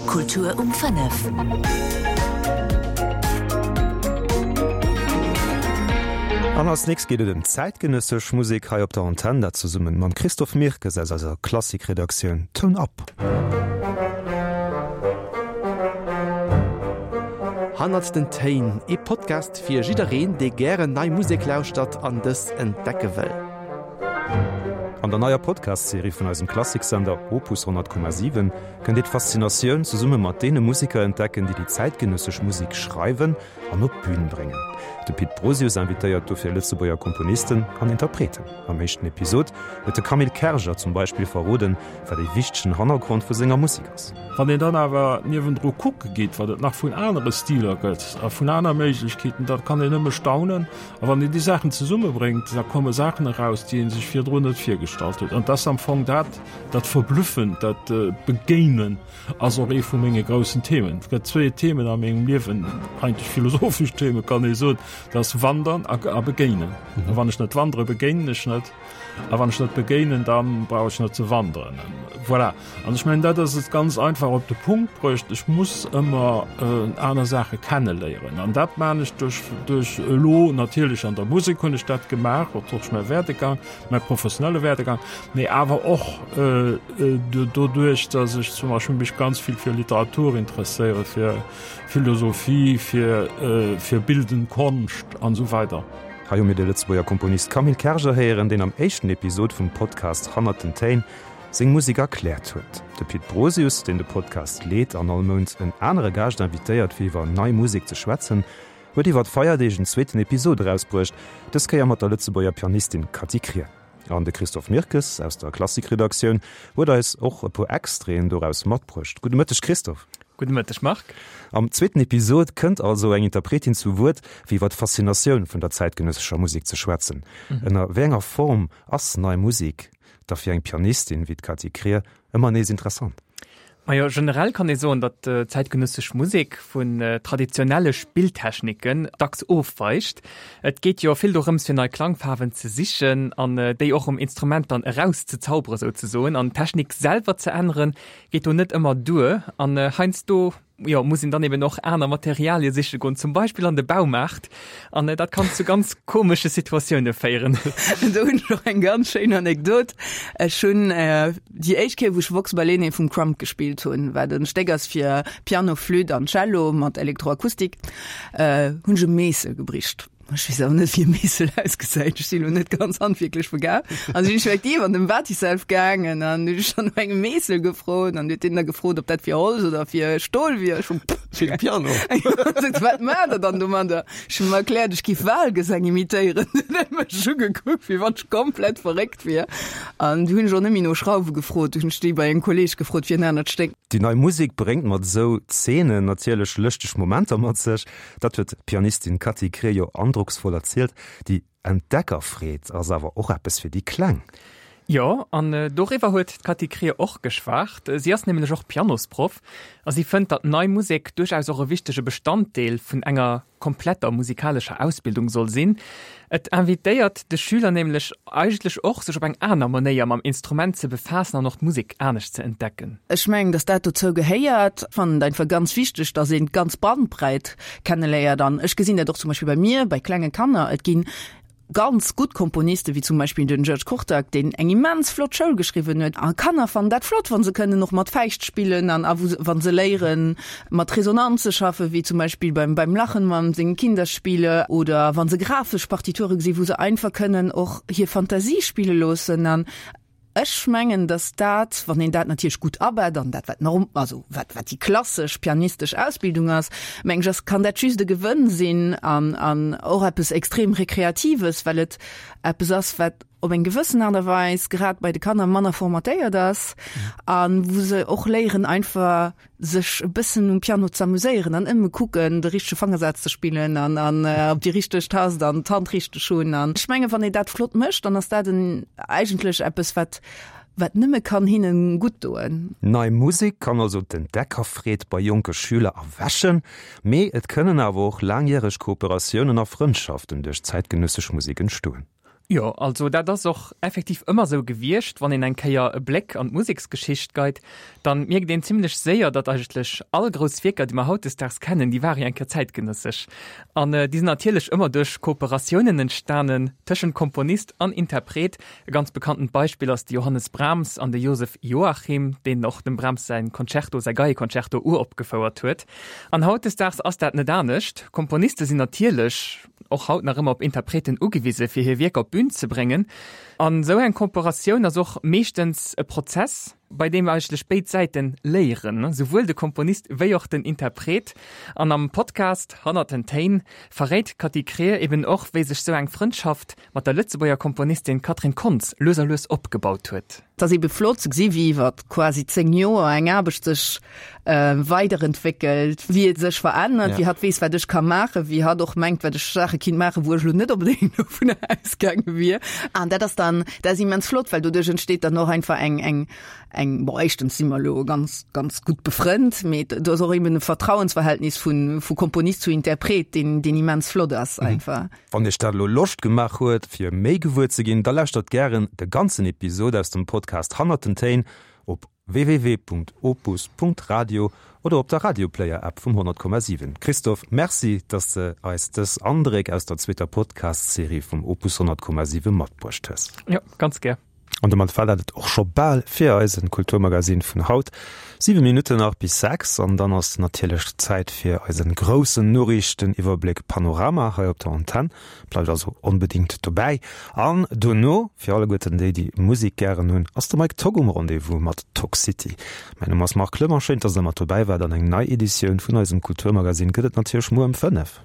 Kultur um 5. An als nächst geet et ëm zäitgenëssesch Musek hei op der Antenn, dat zesummen mam Christophe Mirkes aus eiser Klassikredaktioun. Toun ab! Hannert den Téin, ee Podcast fir jiddereen, dee gären nei Musek lauschtert an dës entdecke wëll. An der neier Podcast-Serie vun eisem Klassiksender Opus 100,7 kënnt Dir d'Faszinatioun zesumme mat deene Museker entdecken, déi déi zäitgenëssesch Musek schreiwen an op d'Bün bréngen. De Pit Brosius invitéiert dofir Lëtzebuerger Komponisten an Interpreten. Am éischten Episod huet de Camille Kerger zum Beispill verroden, wat ee wichtegen Hannergrond vu senger Musek ass. Wann een dann awer niewendru kucke geet, wat et nach vun anere Stiler gëtt a vun aner Méiglechkeeten, da kann een nëmme staunen. A wann een déi Saachen zesummebréngt, da komme Saachen eraus, déi ee sech virdrun net virgestallt huet. An et ass am Fong dat, dat Verblüffend, dat Begéinen ass och ee vu menge groussen Themen. Et gëtt zwéi Themen a mengem Liewen, eigentlech philosophesch Themen, kann ee soen, dat ass Wandern a Begéinen. A wann ech net wandere, begéinen ech net. A wann ech net begéinen, da brauch ech net ze wanderen. Voilà. An ech mengen, dat ass et ganz einfach op de Punkt bruecht. Ech muss ëmmer aner Saache kenneléieren. An dat maan ech duerch, duerch elo natierlech an der Musek hunn ech dat gemaach, och duerch mäi Werdegang, mäi professionelle Werdegang, mee awer och doduerch, datt ech zum Beispill mech ganz vill fir Literatur interesséiere, fir Philosophie, fir, fir bildend Konscht an esou weider. Hei hu mir de Lëtzebuerger Komponist Camille Kerger héieren, deen am éischten Episod vum Podcast Hannert den Téin seng Musek erkläert huet. De Pit Brosius, deen de Podcast leet an all Mount en anere Gaascht invitéiert fir iwwer nei Musek ze schwätzen, huet iwwer d'Feierdeeg en zweeten Episod erausbruecht, dës Kéier mat der Lëtzebuerger Pianistin Cathy Krier. An de Christophe Mirkes aus der Klassikredaktioun huet eis och e puer Extraiten doraus matbruecht. Gudde Mëtteg Christophe. Gudde Mëtteg Marc. Am zweeten Episod kënnt also eng Interpretin zu Wuert, fir iwwer d'Faszinatioun vun der zäitgenëssescher Musek ze schwätzen. Ënner wéi enger Form ass nei Musek da fir eng Pianistin wéi d'Cathy Krier ëmmer nees interessant? Majo, generell kann ee soen, datt zäitgenëssesch Musek vun traditionelle Spilltechniken dacks ofweicht. Et geet jo vill dorëms, fir nei Klangfaarwen ze sichen an déi och um Instrument dann erauszezaubere souzesoen. An d'Technik selwer ze änneren, geet do net ëmmer duer an heiansdo jo, muss een dann eben och aner Materialie siche goen, zum Beispill an de Baumaart, an dat kann zu ganz komesche Situatioune féieren. Do hunn ech och eng ganz schéin Anekdot. Ech hunn déi éischt Kéier, wou ech Vox Balaenae vum Crumb gespillt hunn, wat en Stéck ass fir Piano, Flütt an Cello mat Elektroakustik, hunn ech e Meessel gebricht. Ech weess awer net, wéi e Meessel ausgesäit. Ech sinn elo net ganz handwierklech begaabt. An sinn ech effektiv an den Batiself gaangen an hunn ech dann no engem Meessel gefrot an huet deen da gefrot, ob dat fir Holz oder fir Stol wier. Ech hunn, pff. Fir de Piano. Sot, wat maacht der dann domadder? Ech hunn him erkläert, ech giff Walgesang imitéieren. Dunn huet e mech ugekuckt, wéi wann ech komplett verréckt wier. An du hunn ech och net méi no Schrauwe gefrot. Du hunn ech déi bei engem Kolleeg gefrot fir en anert Stéck. Déi nei Musek bréngt mat esou Zeenen natierlech lëschteg Momenter mat sech. Dat huet d'Pianistin Cathy Krier jo androcksvoll erzielt. Déi Entdeckerfreed ass awer och eppes fir déi Kleng. Jo, an doriwwer huet d'Cathy Krier och geschwat. Si ass nämlech och Pianosproff a si fënnt, datt nei Musek duerchaus och e wichtege Bestanddeel vun enger kompletter musikalescher Ausbildung soll sinn. Et invitéiert de Schüler nämlech eigentlech och, sech op eng aner Manéier mam Instrument ze befaassen an och d'Musek anescht ze entdecken. Ech mengen, dass dat dozou gehéiert. Ech fannen et einfach ganz wichteg, dass een d'ganz Bandbreit kenneléiert. An ech gesinn dat och zum Beispill bei mir, bei klenge Kanner. Et ginn ganz gutt Komponisten, wéi zum Beispill den György Kurtág, deen eng immens flott Schoul geschriwwen huet. A Kanner fannen dat flott, wa se kënnen och mat Fäischt spillen an a wa se léieren, mat Resonanz ze schaffen, wéi zum Beispill beim beim Lachen mam sengen Kinderspiele oder wa se grafesch Partiture gesinn, wou se einfach kënnen och hir Fantasie spille loossen. An ech mengen, datt dat, wann een dat natierlech gutt abett an dat wat norm, also wat wat déi klassesch pianistesch Ausbildung ass, meng ech, ass kann dat just e Gewënn sinn an an och eppes extrem Rekreatives, well et eppes ass, wat op eng gewëssen Aart a Weis grad bei de Kanner manner formatéiert ass an wou se och léieren einfach sech e bëssen um Piano ze amuséieren an ëmme kucken de richtege Fangersaz ze spillen an an op déi richteg Tast an d'Hand richteg hunn an ech menge wann ee dat flott mécht, dann ass dat en eigentlech eppes wat wat nëmme kann hinnen gutt doen. Nei Musek kann also d'Entdeckerfreed bei jonke Schüler erwächen, mee et kënnen awer och laangjäreg Kooperatiounen a Frëndschaften duerch zäitgenëssesch Musek entstoen. Jo, also dat ass och effektiv ëmmer sou gewiescht. Wann een eng Kéier e Bléck an d'Museksgeschicht geit, dann mierkt een zimlech séier, datt eigentlech all grouss Wierker, déi mer hautdesdaags kennen, déi ware jo eng Kéier zäitgenëssesch. An déi sinn natierlech ëmmer duerch Kooperatiounen entstanen tëschent Komponist an Interpret. E ganz bekanntent Beispill ass de Johannes Brahms an de Joseph Joachim, deen och dem Brahms säin Concerto, säi Geieconcerto uropgefouert huet. An hautdesdaags ass dat net anescht. Komponiste sinn natierlech och haut nach ëmmer op Interpreten ugewise fir hir Wierker op d'Bün ze bréngen. An esou eng Kooperatioun ass och meeschtens e Prozess, bei deem eigentlech béid Säiten léieren, souwuel de Komponist wéi och den Interpret. An am Podcast Hannert den Téin verréit d'Cathy Krier eben och, wéi sech sou eng Frëndschaft mat der Lëtzebuerger Komponistin Catherine Kontz lues a lues opgebaut huet. Et ass ebe flott ze gesi wéi iwwer quasi 10 Joer eng Aarbecht sech weiderentwéckelt, wéi et sech verännert, wéi hatt weess, wat ech ka maachen, wéi hatt och mengt, wat ech Saache kinnt maachen, wou ech elo net onbedéngt dovunner ausgaange wier. An dat ass dann, dat ass immens flott, well doduerch entsteet dann och einfach eng, eng, eng, bon, éischtens si mer elo ganz, ganz gutt befrënnt, mee do ass och eben e Vertrauensverhältnis vu, vu Komponist zu Interpret, deen, deen immens flott ass einfach. Wann iech dat elo Loscht gemaach huet fir méi gewuer ze ginn, da lauschtert gären de ganzen Episod aus dem Podcast Hannert den Téin op www.opus.radio oder op der Radioplayer App vum 100,7. Christophe, Merci, dass de eis dës Andréck aus der zweeter Podcast-Serie vum Opus 100,7 matbruecht hues. Jo, ganz gär. An domat war dat et och scho bal fir eisen Kulturmagazin vun haut. 7 Minutten nach bis 6 an dann ass natierlech Zäit fir eisen groussen Noriichteniwwerbléck Panorama hei op der Antenn. Bleift also onbedingt dobäi. An dono, fir alleguerten déi, déi Musek gären hunn, ass de Mike Togg um Rendez-vous mat Togg City. Mäin Numm ass Marc Clement, schéin, dass der mat dobäi waart an eng nei Editioun vun eisem Kulturmagazin gëtt et natierlech muer ëm 5.